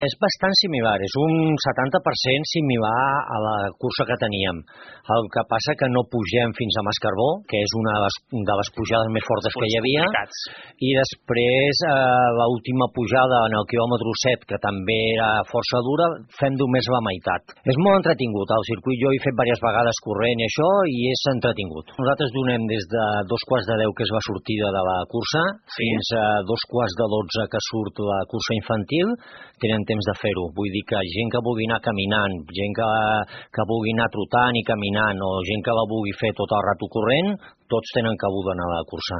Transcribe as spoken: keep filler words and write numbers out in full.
És bastant similar, és un setanta per cent similar a la cursa que teníem. El que passa que no pugem fins a Mascarbó, que és una de les, de les pujades més fortes que hi havia, i després eh, l'última pujada en el quilòmetre set, que també era força dura, fem només la meitat. És molt entretingut, el circuit jo he fet diverses vegades corrent i això, i és entretingut. Nosaltres donem des de dos quarts de deu, que és la sortida de la cursa, sí, fins a dos quarts de dotze, que surt la cursa infantil, tenen temps de fer-ho. Vull dir que gent que vulgui anar caminant, gent que, que vulgui anar trotant i caminant, o gent que la vulgui fer tot el rato corrent, tots tenen cabuda en la cursa.